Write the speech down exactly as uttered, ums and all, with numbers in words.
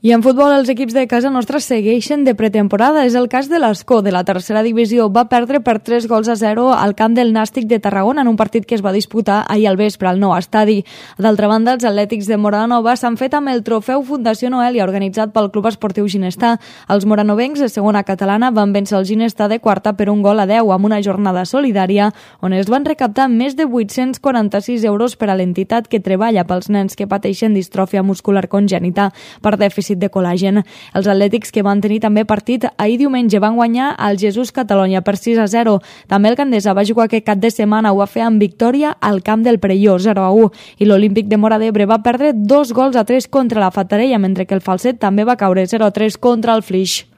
I en futbol, els equips de casa nostra segueixen de pretemporada. És el cas de l'Escó, de la tercera divisió. Va perdre per tres gols a zero al camp del Nàstic de Tarragona en un partit que es va disputar ahir al vespre al nou estadi. D'altra banda, els Atlètics de Moranova s'han fet amb el trofeu Fundació Noelia, organitzat pel Club Esportiu Ginestà. Els moranovencs de segona catalana van vèncer el Ginestà de quarta per un gol a deu amb una jornada solidària on es van recaptar més de vuit-cents quaranta-sis euros per a l'entitat que treballa pels nens que pateixen distròfia muscular congènita per dèficit de col·làgen. Els atlètics, que van tenir també partit ahir diumenge, van guanyar al Jesús Catalunya per sis a zero. També el Gandesa va jugar aquest cap de setmana, ho va fer amb victòria al camp del Perelló, zero a u. I l'Olímpic de Móra d'Ebre va perdre dos gols a tres contra la Fatarella, mentre que el Falset també va caure zero a tres contra el Flix.